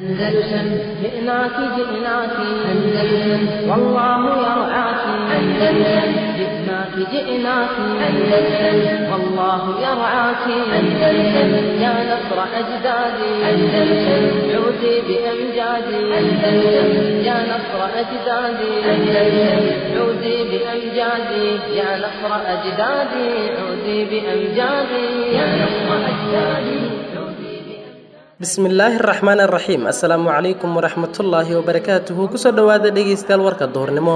أندلسن جئناك جئناك أندلسن والله يرعاك أندلسن جئناك جئناك أندلسن والله يرعاك أندلسن يا نصر أجدادي أندلسن عودي بأمجادي أندلسن يا نصر أجدادي أندلسن عودي بأمجادي يا نصر أجدادي عودي بأمجادي يا نصر أجدادي. Bismillaahi araxmaan araxiim. Assalaamu calaykum waraxmatullaahi wabarakaatuhu. Kusoo dhowaada dhegaystayaal warka duhurnimo.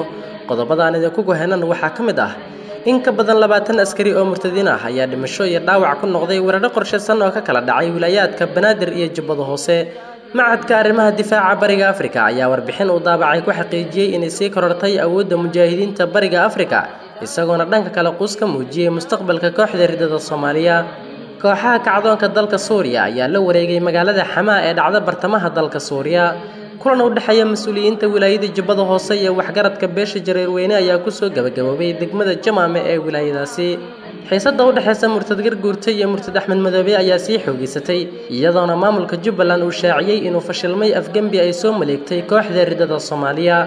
Qodobadaan idinku gohenan waxaa ka mid ah in ka badan 20 askari oo murtadiin ah ayaa dhimasho iyo dhaawac ku noqday weeraro qorshaysan oo ka kala dhacay wilaayaadka Banaadir iyo Jubbada Hoose. Machadka arrimaha difaaca Bariga Afrika ayaa warbixin uu daabacay ku xaqiijiyey inay sii korortay awoodda mujaahidiinta Bariga Afrika, isagoona dhanka kale quus ka muujiyey mustaqbalka kooxda ridada Soomaaliya. Kooxaha kacdoonka dalka Suuriya ayaa la wareegay magaalada Xamaa ee dhacda bartamaha dalka Suuriya. Kulan u dhexeeya mas-uuliyiinta wilaayada Jubbada Hoose iyo waxgaradka beesha Jareerweyne ayaa kusoo gabagaboobay degmada Jamaame ee wilaayadaasi. Xiisadda u dhexeysa murtad Garguurta iyo murtad Axmed Madoobe ayaa sii xoogeysatay, iyadoona maamulka Jubbaland uu shaaciyey inuu fashilmay afgembi ay soo maleegtay kooxda ridada Soomaaliya.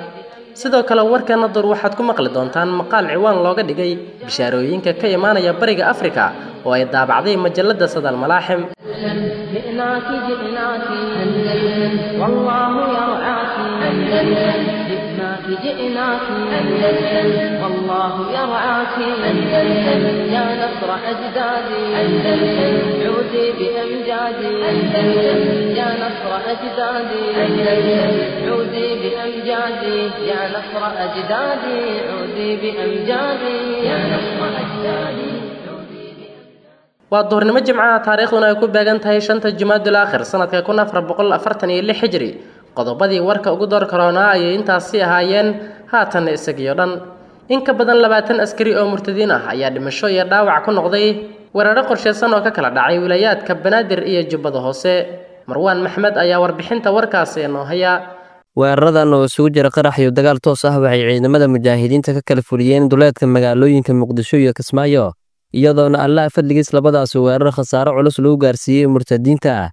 Sidoo kale warkana door waxaad ku maqli doontaan maqaal ciwaan looga dhigay bishaarooyinka ka imaanaya Bariga Afrika oo ay daabacday majalada Sadal Malaaxim. جئناك جئناك أندلسن والله يرعاك أندلسن جئناك جئناك أندلسن والله يرعاك أندلسن يا نصر أجدادي أندلسن عودي بأمجادي أندلسن يا نصر أجدادي أندلسن عودي بأمجادي يا نصر أجدادي عودي بأمجادي يا نصر أجدادي. Waa duhurnimo Jimcaha, taariikhduna ay ku beegan tahay 5 Jumaadul Aakhir sanadka 1446 Hijri. Qodobadii warka ugu door karoonaa ayay intaasi ahaayeen, haatan isagiyo dhan. In ka badan 20 askari oo murtadiin ah ayaa dhimasho iyo dhaawac ku noqday weeraro qorshaysan oo ka kala dhacay wilaayaadka Banaadir iyo Jubbada Hoose. Marwaan Maxmed ayaa warbixinta warkaasi inoo haya. Weeraradan oo isugu jira qarax iyo dagaal toos ah waxay ciidamada mujaahidiinta ka kala fuliyeen duleedka magaalooyinka Muqdisho iyo Kismaayo, iyadoona Allaah fadligiis labadaas weerar khasaaro culus lagu gaarsiiyey murtadiinta.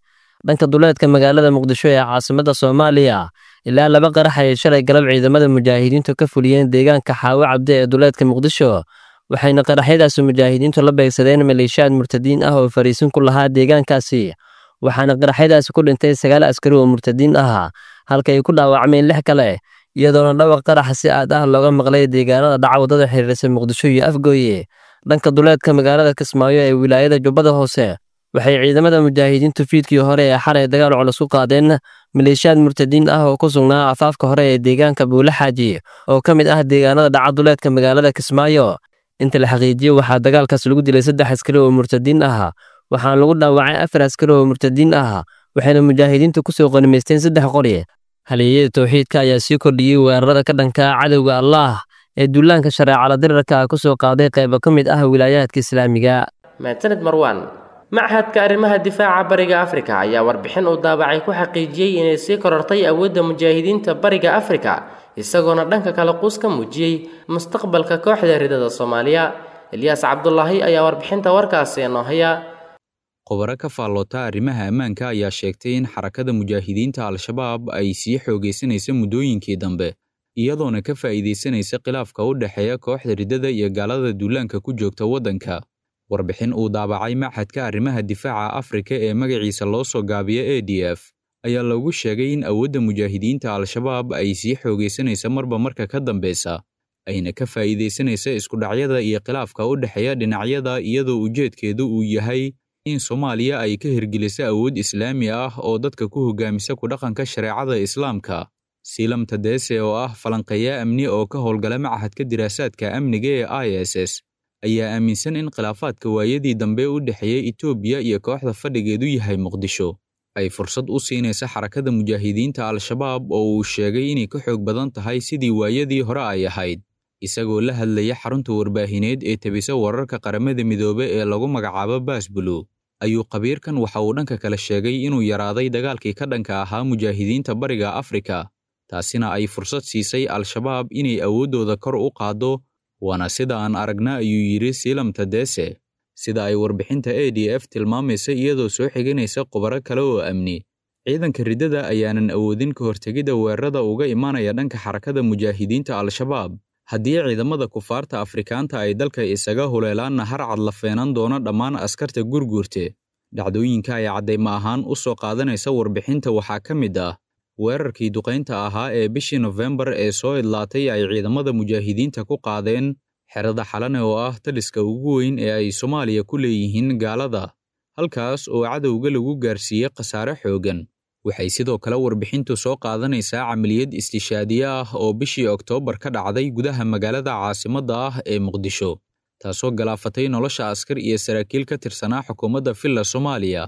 Dhanka duleedka magaalada Muqdisho ee caasimadda Soomaaliya, ilaa 2 qarax ay shalay galab ciidamada mujaahidiintu ka fuliyeen deegaanka Xaawo Cabde ee duleedka Muqdisho, waxayna qaraxyadaasi mujaahidiintu la beegsadeen maleeshiyaad murtadiin ah oo fariisin ku lahaa deegaankaasi, waxaana qaraxyadaasi ku dhintay 9 askari oo murtadiin ah, halka ay ku dhaawacmeen 6 kale, iyadoona dhawaq qaraxa si aad ah looga maqlay deegaanada dhaca waddada xiriirsan Muqdisho iyo Afgooye. Dhanka duleedka magaalada Kismaayo ee wilaayada Jubbada Hoose, waxay ciidamada mujaahidiintu fiidkii hore ee xalay dagaal culus ku qaadeen maleeshiyaad murtadiin ah oo ku sugnaa afaafka hore ee deegaanka Buule Xaaji oo ka mid ah deegaanada dhaca duleedka magaalada Kismaayo. Inta la xaqiijiyey waxaa dagaalkaas lagu dilay 3 askari oo murtadiin ah, waxaana lagu dhaawacay 4 askari oo murtadiin ah, waxayna mujaahidiintu kusoo qanimaysteen 3 qori. Halyeeyada tawxiidka ayaa sii kordhiyey weerarada ka dhanka ah cadowga Allaah ee duulaanka shareecada dirarka ku soo qaaday qaybo ka mid ah wilaayaadka Islaamiga. Mahadsanid Marwaan. Machadka arrimaha difaaca Bariga Afrika ayaa warbixin uu daabacay ku xaqiijiyey inay sii korortay awoodda mujaahidiinta Bariga Afrika, isagoona dhanka kale quus ka muujiyey mustaqbalka kooxda ridada Soomaaliya. Ilyaas Cabdullaahi ayaa warbixinta warkaasi inoo haya. Khubaro ka faalloota arrimaha ammaanka ayaa sheegtay in xarakada mujaahidiinta Al-Shabaab ay sii xoogaysanaysa muddooyinkii dambe, iyadoona ka faa'iidaysanaysa khilaafka u dhexeeya kooxda ridada iyo gaalada duulaanka ku joogta waddanka. Warbixin uu daabacay Machadka Arrimaha Difaaca Afrika ee magaciisa loo soo gaabiyo ADF ayaa lagu sheegay in awoodda mujaahidiinta Al-Shabaab ay sii xoogaysanaysa marba marka ka dambeysa, ayna ka faa'iidaysanaysa isku dhacyada iyo khilaafka u dhexeeya dhinacyada, iyadoo ujeedkeedu uu yahay in Soomaaliya ay ka hirgeliso awood islaami ah oo dadka ku hoggaamisa ku dhaqanka shareecada Islaamka. Siilam Tadese oo ah falanqeeya amni oo ka howlgala Machadka Diraasaadka Amniga ee ISS ayaa aaminsan in khilaafaadka waayadii dambe u dhexeeyay Itoobiya iyo kooxda fadhigeedu yahay Muqdisho ay fursad u siinaysa xarakada mujaahidiinta Al-Shabaab oo uu sheegay inay ka xoog badan tahay sidii waayadii hore ay ahayd. Isagoo la hadlaya xarunta warbaahineed ee tabisa wararka Qaramada Midoobay ee lagu magacaabo Baasbulu, ayuu khabiirkan waxa uu dhanka kale sheegay inuu yaraaday dagaalkii ka dhanka ahaa mujaahidiinta Bariga Afrika, taasina ay fursad siisay Al-Shabaab inay awooddooda kor u qaaddo, waana sida aan aragna, ayuu yidhi Siilam Tadese. Sida ay warbixinta ADF tilmaamaysa iyadoo soo xiganaysa khubaro kale oo amni. Ciidanka riddada ayaanan awoodin ka hortegidda weerarada uga imaanaya dhanka Xarakada Mujaahidiinta Al-Shabaab. Haddii ciidamada kufaarta Afrikaanta ay dalka isaga huleelaanna, harcad la feenan doono dhammaan askarta Gurguurte. Dhacdooyinka ay caddaymo ahaan u soo qaadanaysa warbixinta waxaa ka mid ah weerarkii duqaynta ahaa ee bishii Nofembar ee soo idlaatay ay ciidamada mujaahidiinta ku qaadeen xerada Xalane oo ah taliska ugu weyn ee ay Soomaaliya ku leeyihiin gaalada, halkaas oo cadowga lagu gaarsiiyey khasaare xooggan. Waxay sidoo kale warbixintu soo qaadanaysaa camaliyad istishaadiye ah oo bishii Oktoobar ka dhacday gudaha magaalada caasimadda ah ee Muqdisho, taasoo galaafatay nolosha askar iyo saraakiil ka tirsanaa xukuumadda Villa Soomaaliya.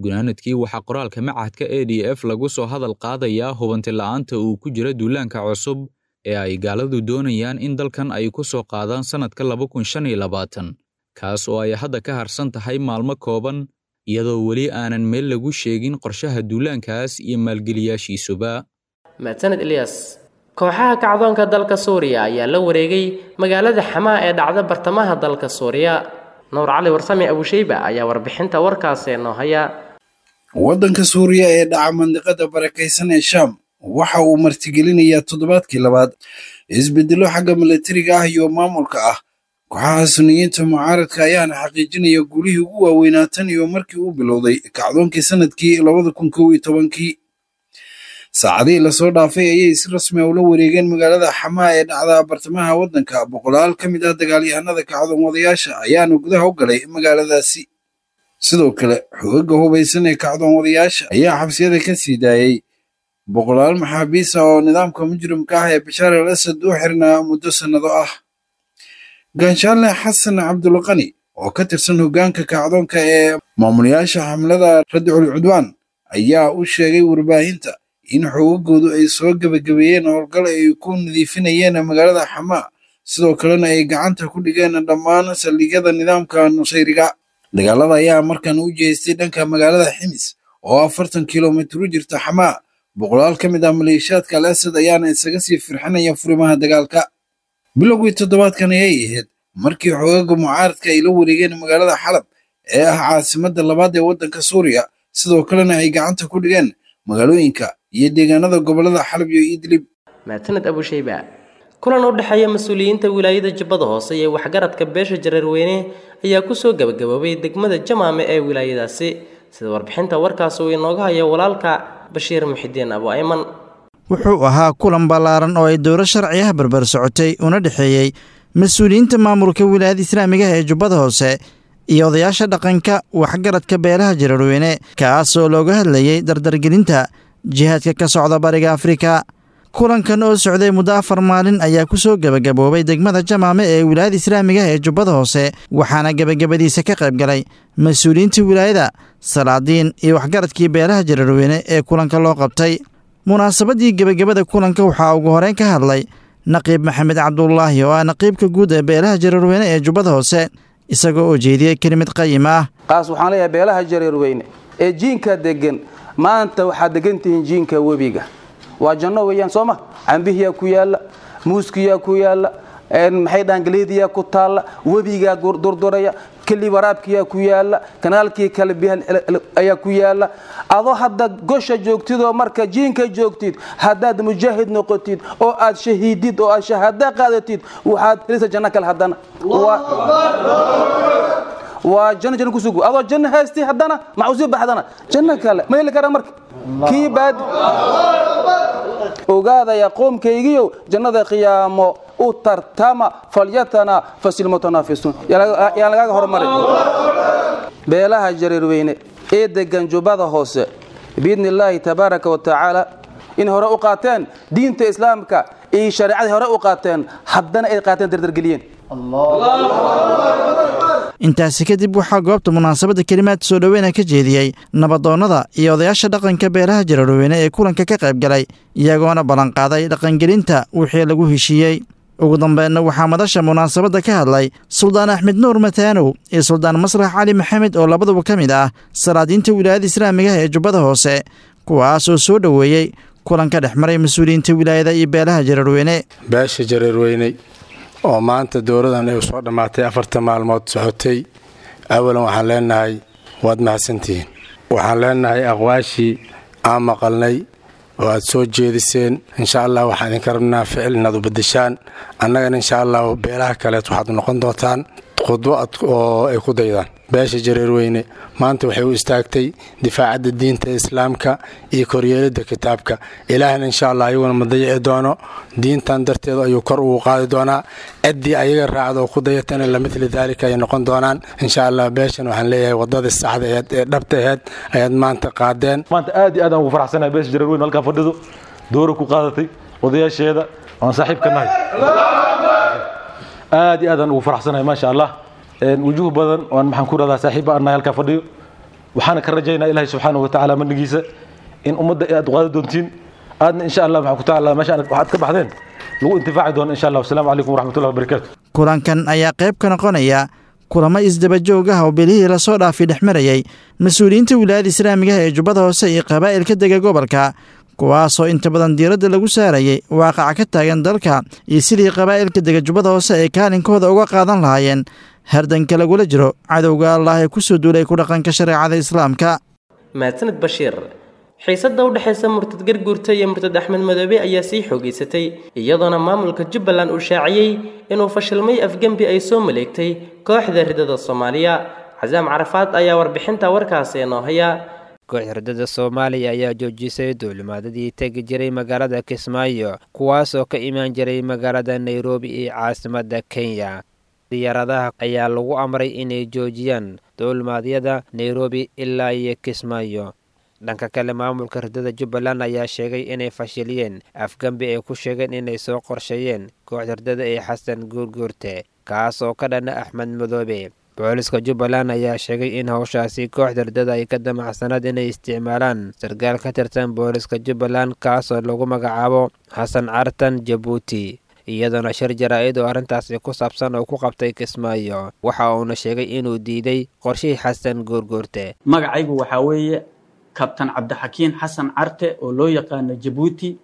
Gunaanadkii, waxaa qoraalka machadka ADF lagu soo hadal qaadayaa hubanti la'aanta uu ku jira duulaanka cusub ee ay gaaladu doonayaan in dalkan ay ku soo qaadaan sannadka 2025, kaas oo ay hadda ka harsan tahay maalmo kooban, iyadoo weli aanan meel lagu sheegin qorshaha duulaankaas iyo maalgeliyaashiisuba. Mahadsaned Ilyas. Kooxaha kacdoonka dalka Suuriya ayaa la wareegay magaalada Xamaa ee dhacda bartamaha dalka Suuriya. Nuur Cali Warsame Abushayba ayaa warbixinta warkaasi noo haya. Waddanka Suuriya ee dhaca mandiqada barakaysan ee Shaam waxa uu martigelinayaa toddobaadkii labaad isbedello xagga milatariga ah iyo maamulka ah. Kooxaha Suniyiinta mucaaradka ayaana xaqiijinaya guulihii ugu waaweynaa tan iyo markii uu bilowday kacdoonkii sanadkii 2011-kii. Saacadihii lasoo dhaafay ayay si rasmi ah ula wareegeen magaalada Xamaa ee dhacda bartamaha waddanka. Boqolaal ka mid ah dagaalyahanada kacdoon wadayaasha ayaana gudaha u galay magaaladaasi. Sidoo kale, xoogagga hubaysan ee kacdoon wadayaasha ayaa xabsiyada ka sii daayey boqolaal maxaabiis ah oo nidaamka mujrimka ah ee Bashaar al Asad u xirnaa muddo sannado ah. Ganshaale Xasan Cabdulqani oo ka tirsan hoggaanka kacdoonka ee maamulayaasha xamlada Radcul Cudwaan ayaa u sheegay warbaahinta in xoogagoodu ay soo gebagabeeyeen howlgal ay ku nadiifinayeen magaalada Xamaa, sidoo kalena ay gacanta ku dhigeen dhammaan saldhigyada nidaamka Nusayriga. Dagaalada ayaa markan u jeestay dhanka magaalada Ximis oo 40 kilomitir u jirta Xamaa. Boqolaal ka mid ah maleeshiyaadka Al Asad ayaana isaga sii firxinaya furimaha dagaalka. Bilowgii toddobaadkan ayay ahayd markii xoogagga mucaaradka ay la wareegeen magaalada Xalab ee ah caasimadda labaad ee waddanka Suuriya, sidoo kalena ay gacanta ku dhigeen magaalooyinka iyo deegaanada gobollada Xalab iyo Idlib. Mahadsaned Abushayba. Kulan u dhexeeya mas-uuliyiinta wilaayada Jubbada Hoose iyo waxgaradka beesha Jareerweyne ayaa kusoo gabagaboobay degmada Jamaame ee wilaayadaasi, sida warbixinta warkaas uu inooga hayo walaalka Bashiir Muxidiin Abu Ayman. Wuxuu ahaa kulan ballaaran oo ay dowlo sharci ah barbar socotay una dhexeeyey mas-uuliyiinta maamulka wilaayada islaamiga ah ee Jubbada Hoose iyo odayaasha dhaqanka waxgaradka beelaha Jareerweyne, kaasoo looga hadlayey dardargelinta jihaadka ka socda bariga Afrika. Kulankan oo socday muddo 4 maalin ayaa ku soo gebagaboobay degmada Jamaame ee wilaayada islaamiga ah ee Jubbada Hoose, waxaana gebagabadiisa ka qayb galay mas-uuliyiinta wilaayada, salaadiin iyo waxgaradkii beelaha Jareerweyne ee kulanka loo qabtay. Munaasabadii gebagabada kulanka waxaa ugu horeyn ka hadlay Naqiib Maxamed Cabdulaahi oo ah naqiibka guud ee beelaha Jareerweyne ee Jubbada Hoose, isagoo oo jeediyey kelimad qayim ah. Qaas waxaan leeyahay beelaha Jareerweyne ee jiinka degan, maanta waxaad degan tihiin jiinka webiga, waa janno weeyaan, soo ma? Cambihiyaa ku yaalla, muuskiyaa ku yaalla, maxay dhahan, galeediyaa ku taalla, webigaa durduraya, keli waraabkiyaa ku yaalla, kanaalkii kale biyaha ayaa ku yaalla. Adoo hadda gosha joogtid oo marka jiinka joogtid, haddaad mujaahid noqotid oo aad shahiidid oo aad shahaado qaadatid, waxaad helisa janno kale haddana. Waa janno, janno kusugu adoo janno haystay, haddana maxaa usii baxdana janno kale ma heli karaa? Marka kii baad ogaadaya qoomkaygiyow, jannada qiyaamo u tartama, falyatana fasilmutanaafisuun, yaan lagaaga hormarin. Beelaha Jareerweyne ee degan Jubbada Hoose, biidni illaahi tabaaraka wa tacaala, in hore u qaateen diinta islaamka iyo shareecadii hore u qaateen, haddana ay qaateen dardargeliyeen. Intaasi kadib waxaa goobta munaasabadda kelimaad soo dhoweyna ka jeediyey nabadoonnada iyo odayaasha dhaqanka beelaha Jareerweyne ee kulanka ka qayb galay, iyagoona ballanqaaday dhaqangelinta wixii lagu heshiiyey. Ugu dambeynna waxaa madasha munaasabadda ka hadlay Suldaan Axmed Nuur Mataanow iyo Suldaan Masrax Cali Maxamed oo labaduba ka mid ah salaadiinta wilaayada islaamiga ah ee Jubbada Hoose, kuwaas oo soo dhoweeyey kulanka dhex maray mas-uuliyiinta wilaayada iyo beelaha Jareerweyne. Beesha Jareerweyne oo maanta dowladan ay soo dhammaatay 4ta maalmood socotay, awalan waxaan leenahay waad mahadsantihiin. Waxaan leenahay aqwaashii Aan maqalnay oo aad soo jeediseen, insha Allah waxaan idinka rabnaa ficil inaad u bedeshaan. Annagana insha Allah beelaha kaleet waxaad noqon doontaan khudbo oo ay ku daydaan. Beesha Jareerweyne maanta waxay u istaagtay difaacadda diinta islaamka iyo koryeelidda kitaabka Ilaahna. Insha Allah ayaguna ma dayici doono, diintan darteedu ayuu kor ugu qaadi doonaa. Ciddii ayaga raacda oo ku dayatana lamithli daalika ay noqon doonaan insha Allah. Beeshan waxaan leeyahay, wadadii saxda aheed ee dhabta aheed ayaad maanta qaadeen. Maanta aad iyo aad aan ugu faraxsanahay beesha Jareerweyne halkaa fadhido doora ku qaadatay odayaasheeda aan saaxiib ka nahay. Aad iyo aad aan ugu faraxsanahay, maasha Allah. Wujuh badan oan maxaan ku rahdaa saaxiibba aan nahay halkaa fadhiyo. Waxaana ka rajaynaa Ilaahay subxaanahu wa tacaala manigiisa in ummadda aad qaadi doontiin, aadna insha Allah maxaan ku tacaala meesha waxaad ka baxdeen lagu intifaaci doono insha Allah. Wasalaamu calaykum waraxmatullahi wabarakaatu. Kulankan ayaa qayb ka noqonaya kulamo isdaba joog ah oo bilihii lasoo dhaafay dhex marayay mas-uuliyiinta wilaayada islaamigaha ee Jubbada Hoose iyo qabaa'ilka dega gobolka, kuwaasoo inta badan diiradda lagu saarayay waaqaca ka taagan dalka iyo sidii qabaa'ilka dega Jubbada Hoose ay kaalinkooda uga qaadan lahaayeen hardanka lagula jiro cadowga Allah ee kusoo duulay ku dhaqanka shareecada islaamka. Mahadsanid Bashiir. Xiisadda u dhexaysa murtad Garguurta iyo murtad Axmed Madoobe ayaa sii xoogeysatay, iyadoona maamulka Jubbaland uu shaaciyey inuu fashilmay afgembi ay soo maleegtay kooxda ridada Soomaaliya. Casaam Carafaad ayaa warbixinta warkaasi inoo haya. Kooxda ridada Soomaaliya ayaa joojisay duulimaadadii tegi jiray magaalada Kismaayo, kuwaasoo ka imaan jiray magaalada Nairobi ee caasimadda Kenya. Diyaaradaha ayaa lagu amray inay joojiyaan duulimaadyada Nairobi ilaa iyo Kismaayo. Dhanka kale, maamulka ridada Jubbaland ayaa sheegay inay fashiliyeen afgembi ay ku sheegeen inay soo qorsheeyeen kooxda ridada ee Xasan Guurguurte, kaas oo ka dhana Axmed Madoobe. Booliska Jubbaland ayaa sheegay in howshaasi kooxda ridada ay ka damacsanaad inay isticmaalaan sarkaal ka tirsan booliska Jubbaland, kaasoo lagu magacaabo Xasan Cartan Jabuuti, iyadoona shir jaraa-id oo arrintaasi ku saabsan oo ku qabtay Kismaayo waxa uuna sheegay inuu diiday qorshihii Xasan Guurguurte. Magacaygu waxaa weeye Kabtan Cabdixakiin Xasan Carte oo loo yaqaano Jabuuti.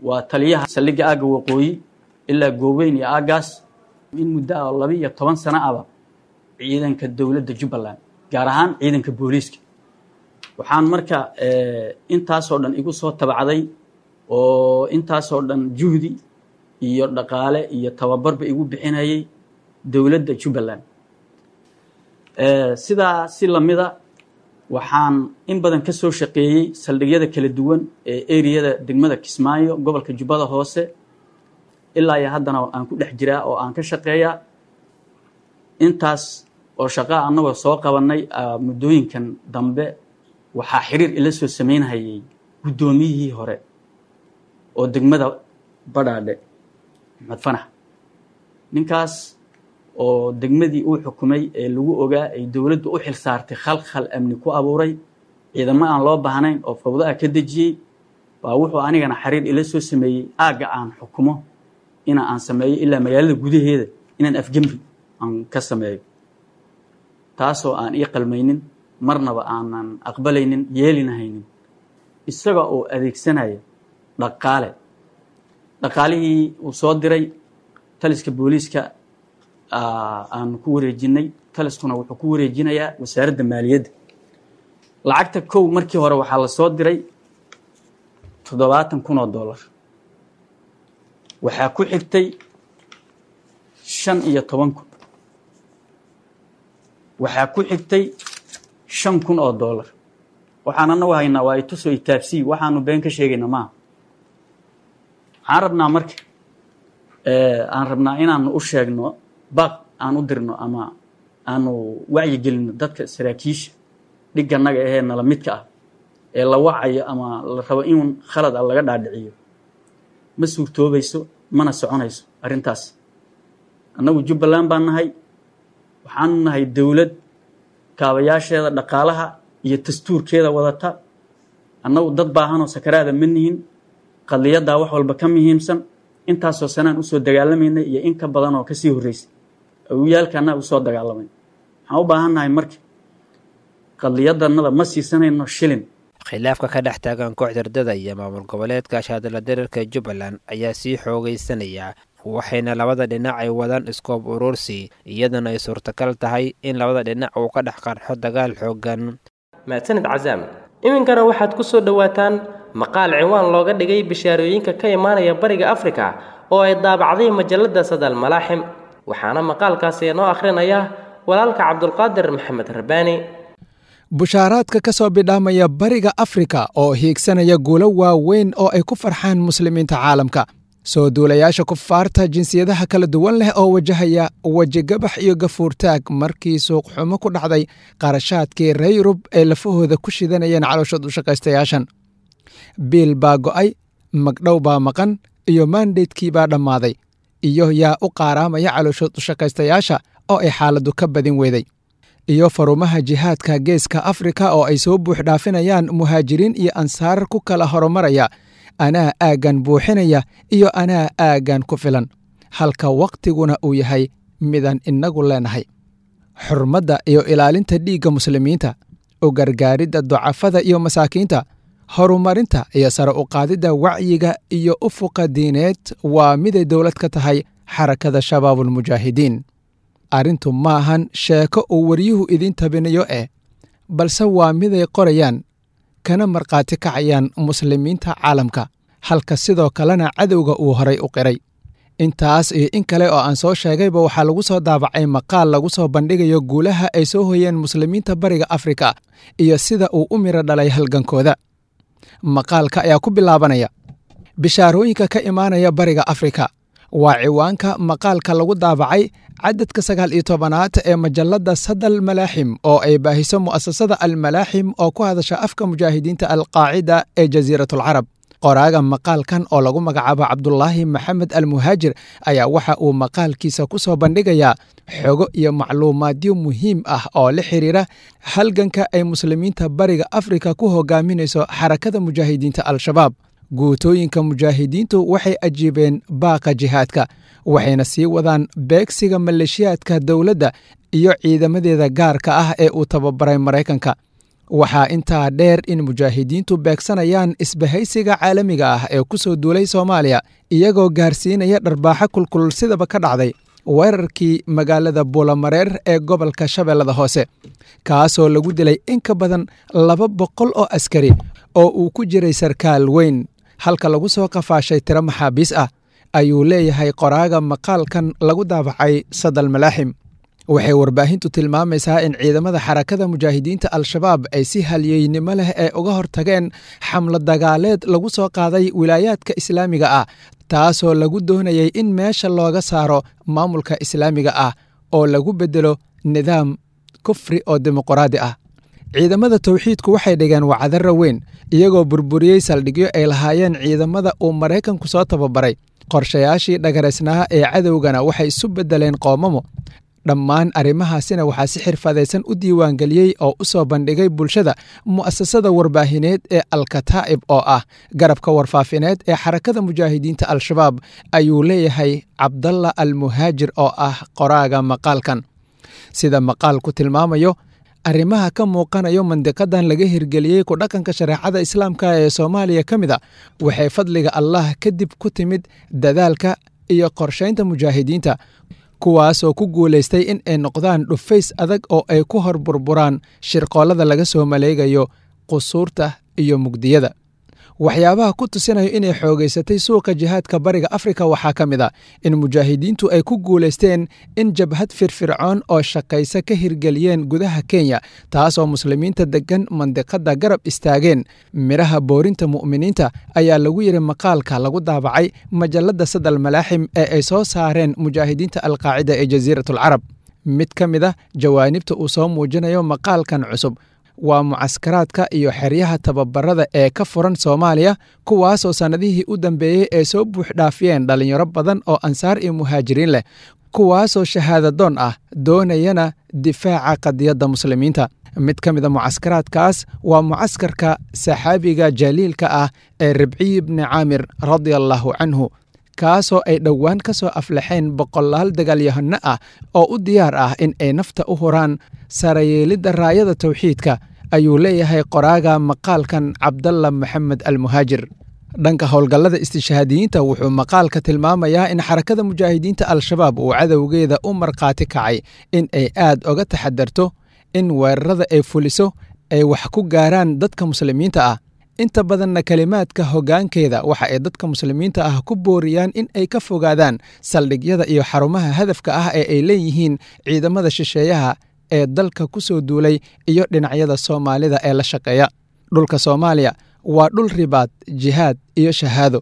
Waa taliyaha saldhigga aagga waqooyi ilaa Gooweyn iyo aaggaas in muddo ah oo 12 sano aba ciidanka dowladda Jubbaland, gaar ahaan ciidanka booliiska. Waxaan marka intaasoo dhan igu soo tabacday oo intaasoo dhan juhdi iyo dhaqaale iyo tababarba igu bixinayay dowladda Jubbaland. Sidaa si lamida waxaan in badan ka soo shaqeeyey saldhigyada kala duwan ee eriyada degmada Kismaayo, gobolka Jubbada Hoose. Ilaa iyo haddana aan ku dhex jiraa oo aan ka shaqeeyaa. Intaas oo shaqaa annagoo soo qabanay, muddooyinkan dambe waxaa xiriir ila soo sameynhayay guddoomiyihii hore oo degmada Badhaadhe, Maxmed Fanax. Ninkaas oo degmadii uu xukumay ee lagu ogaa ay dowladdu u xil saartay khalkhal amni ku abuuray, ciidamo aan loo baahnayn oo fawdo ah ka dejiyey, baa wuxuu anigana xiriir ila soo sameeyey aagga aan xukumo ina aan sameeyo ilaa magaalada gudaheeda inaan afgembi aan ka sameeyo, taasoo aan ii qalmaynin, marnaba aanan aqbalaynin, yeelinahaynin. Isaga oo adeegsanaya dhaqaale, dhaqaalihii uu soo diray taliska booliiska aanu ku wareejinay, taliskuna wuxuu ku wareejinayaa wasaaradda maaliyadda. Lacagta kow markii hore waxaa la soo diray 70,000 oo dollar, waxaa ku xigtay 15,000, waxaa ku xigtay 5,000 oo dollar. Waxaan anagu haynaa waa ituso itaabsii, waxaanu been ka sheegayna maaha. Waxaan rabnaa marka aan rabnaa inaanu u sheegno, baaq aan u dirno ama aanu wacyigelino dadka saraakiisha dhiganaga ahee nala midka ah ee la wacayo ama la rabo in khalad a laga dhaadhiciyo. Ma suurtoobayso mana soconayso arrintaas. Annagu Jubbaland baan nahay, waxaanu nahay dowlad kaabayaasheeda dhaqaalaha iyo dastuurkeeda wadata. Annagu dad baahanoo sakaraada ma nihin. Qadiyaddaa wax walba ka muhiimsan. Intaasoo sanaan usoo dagaalamaynay iyo in ka badan oo kasii horreysay awiyaalka annaga usoo dagaalamay. Waxaan u baahan nahay marka qadiyadanada ma siisanayno shilin. Khilaafka ka dhex taagan kooxda ridada iyo maamul goboleedka shaadala dherarka Jubbaland ayaa sii xoogaysanaya, waxayna labada dhinac ay wadaan iskoob uruursi, iyadana ay suurtagal tahay in labada dhinac uu ka dhex qarxo dagaal xooggan. Mahadsanid Casaam. Iminkana waxaad ku soo dhowaataan maqaal ciwaan looga dhigay bishaarooyinka ka imaanaya Bariga Afrika oo ay daabacday majalada Sadal Malaaxim, waxaana maqaalkaasi inoo akhrinaya walaalka Cabdulqaadir Maxamed Rabbaani. Bushaaraadka ka soo bidhaamaya Bariga Afrika oo hiigsanaya guulo waaweyn oo ay ku farxaan muslimiinta caalamka. Soo duulayaasha kufaarta jinsiyadaha kala duwan leh oo wajahaya wejigabax iyo gafuurtaag markii suuqxumo ku dhacday qarashaadkii reer Yurub ee lafahooda ku shidanayeen calooshood u shaqaystayaashan. Biil baa go'ay, magdhow baa maqan, iyo maandeydkii baa dhammaaday, iyo yaa u qaaraamaya calooshood u shaqaystayaasha oo ay xaaladdu ka badin weyday. Iyo farumaha jihaadka Geeska Afrika oo ay soo buux dhaafinayaan muhaajiriin iyo ansaar ku kala horumaraya, anaa aaggan buuxinaya iyo anaa aaggan ku filan, halka wakhtiguna uu yahay midaan innagu leenahay. Xurmadda iyo ilaalinta dhiigga muslimiinta, u gargaaridda ducafada iyo masaakiinta, horumarinta iyo sare u qaadidda wacyiga iyo ufuqa diineed waa miday dowlad ka tahay Xarakada Shabaabulmujaahidiin. Arrintu maahan sheeko uu waryuhu idiin tabinayo balse waa miday qorayaan kana markhaati kacayaan muslimiinta caalamka, halka sidoo kalena cadowga uu horay u qiray. Intaas iyo in kale oo aan soo sheegayba waxaa lagu soo daabacay maqaal lagu soo bandhigayo guulaha ay soo hoyeen muslimiinta Bariga Afrika iyo sida uu u miro dhalay halgankooda. Maqaalka ayaa ku bilaabanaya bishaarooyinka ka imaanaya Bariga Afrika. Waa ciwaanka maqaalka lagu daabacay cadadka 19aad ee majalada Sadal Malaaxim oo ay baahiso mu'asasada Almalaaxim oo ku hadasha afka mujaahidiinta Alqaacida ee Jasiiratul Carab. Qoraaga maqaalkan oo lagu magacaabo Cabdulaahi Maxamed Almuhaajir ayaa waxa uu maqaalkiisa ku soo bandhigayaa xogo iyo macluumaadyo muhiim ah oo la xiriira halganka ay muslimiinta Bariga Afrika ku hogaaminayso Xarakada Mujaahidiinta Al-Shabaab. Guutooyinka mujaahidiintu waxay ajiibeen baaqa jihaadka, waxayna sii wadaan beegsiga maleeshiyaadka dowladda iyo ciidamadeeda gaarka ah ee uu tababaray Maraykanka. Waxaa intaa dheer in mujaahidiintu beegsanayaan isbahaysiga caalamiga ah ee ku soo duulay Soomaaliya, iyagoo gaarsiinaya dharbaaxo kulkulul sidaba ka dhacday weerarkii magaalada Buulamareer ee gobolka Shabeellada Hoose, kaasoo lagu dilay in ka badan 200 oo askari oo uu ku jiray sarkaal weyn, halka lagu soo qafaashay tiro maxaabiis ah, ayuu leeyahay qoraaga maqaalkan lagu daabacay Sadal Malaaxim. Waxay warbaahintu tilmaamaysaa in ciidamada Xarakada Mujaahidiinta Al-Shabaab ay si halyeynimo leh ee uga hortageen xamlo dagaaleed lagu soo qaaday wilaayaadka islaamiga ah, taasoo lagu doonayay in meesha looga saaro maamulka islaamiga ah oo lagu beddelo nidaam kufri oo dimuqraadi ah. Ciidamada tawxiidku waxay dhigeen wacdarro weyn, iyagoo burburiyey saldhigyo ay lahaayeen ciidamada uu Maraykanku soo tababaray. Qorshayaashii dhagaraysnaa ee cadowgana waxay isu beddeleen qoomamo. Dhammaan arrimahaasina waxaa si xirfadaysan u diiwaangeliyey oo u soo bandhigay bulshada mu'asasada warbaahineed ee Alkataa'ib oo ah garabka warfaafineed ee Xarakada Mujaahidiinta Al-Shabaab, ayuu leeyahay Cabdalla Almuhaajir oo ah qoraaga maqaalkan. Sida maqaalku tilmaamayo, arrimaha ka muuqanayo mandiqadan laga hirgeliyey ku dhaqanka shareecada islaamka ee Soomaaliya ka mid a waxay fadliga Allah kadib ku timid dadaalka iyo qorshaynta mujaahidiinta, kuwaasoo ku guulaystay in ay noqdaan dhufays adag oo ay ku hor burburaan shirqoollada laga soo maleegayo qusuurta iyo mugdiyada. Waxyaabaha ku tusinayo inay xoogaysatay suuqa jihaadka Bariga Afrika waxaa ka mid a in mujaahidiintu ay ku guulaysteen in jabhad firfircoon oo shaqaysa ka hirgeliyeen gudaha Kenya, taasoo muslimiinta deggan mandiqada garab istaageen. Midhaha boorinta mu'miniinta ayaa lagu yidhi maqaalka lagu daabacay majalada Sadal Malaaxim ee ay soo saareen mujaahidiinta Alqaacida ee Jasiiratul Carab. Mid ka mid a jawaanibta uu soo muujinayo maqaalkan cusub waa mucaskaraadka iyo xeryaha tababarada ee ka furan Soomaaliya, kuwaasoo sannadihii u dambeeyey ay soo buuxdhaafiyeen dhallinyaro badan oo ansaar iyo muhaajiriin leh, kuwaasoo shahaadadoon ah doonayana difaaca qadiyadda muslimiinta. Mid ka mid a mucaskaraadkaas waa mucaskarka saxaabiga jaliilka ah ee Ribciy bni Caamir radiallahu canhu, kaasoo ay dhowaan ka soo aflaxeen boqolaal dagaalyahano ah oo u diyaar ah in ay nafta u huraan sarayeelidda raayada tawxiidka, ayuu leeyahay qoraaga maqaalkan Cabdalla Maxamed Almuhaajir. Dhanka howlgallada istishhaadiyiinta, wuxuu maqaalka tilmaamayaa in Xarakada Mujaahidiinta Al-Shabaab uu cadowgeeda u markhaati kacay in ay aad oga taxadarto in weerarada ay fuliso ay wax ku gaaraan dadka muslimiinta ah. Inta badanna kelimaadka hoggaankeeda waxa ay dadka muslimiinta ah ku booriyaan in ay ka fogaadaan saldhigyada iyo xarumaha hadafka ah ee ay leeyihiin ciidamada shisheeyaha ee dalka ku soo duulay iyo dhinacyada Soomaalida ee la shaqeeya. Dhulka Soomaaliya waa dhul ribaad, jihaad iyo shahaado.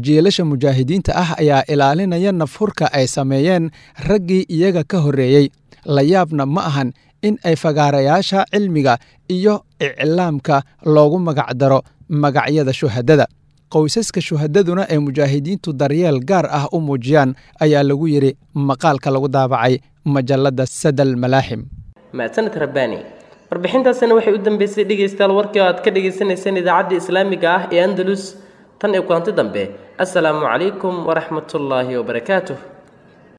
Jiilasha mujaahidiinta ah ayaa ilaalinaya nafhurka ay sameeyeen raggii iyaga ka horreeyey. La yaabna ma ahan in ay fagaarayaasha cilmiga iyo iclaamka loogu magacdaro magacyada shuhadada, qoysaska shuhadaduna ay mujaahidiintu daryeel gaar ah u muujiyaan, ayaa lagu yidhi maqaalka lagu daabacay majalladda Sadal Malaaxim. Mahadsaned Rabbaani. Warbixintaasina waxay u dambeysay, dhegaystayaal, warkii oo aad ka dhagaysanayseen idaacadda islaamiga ah ee Andalus. Tan iyo kulanti dambe, assalaamu calaykum waraxmatullaahi wabarakaatuh.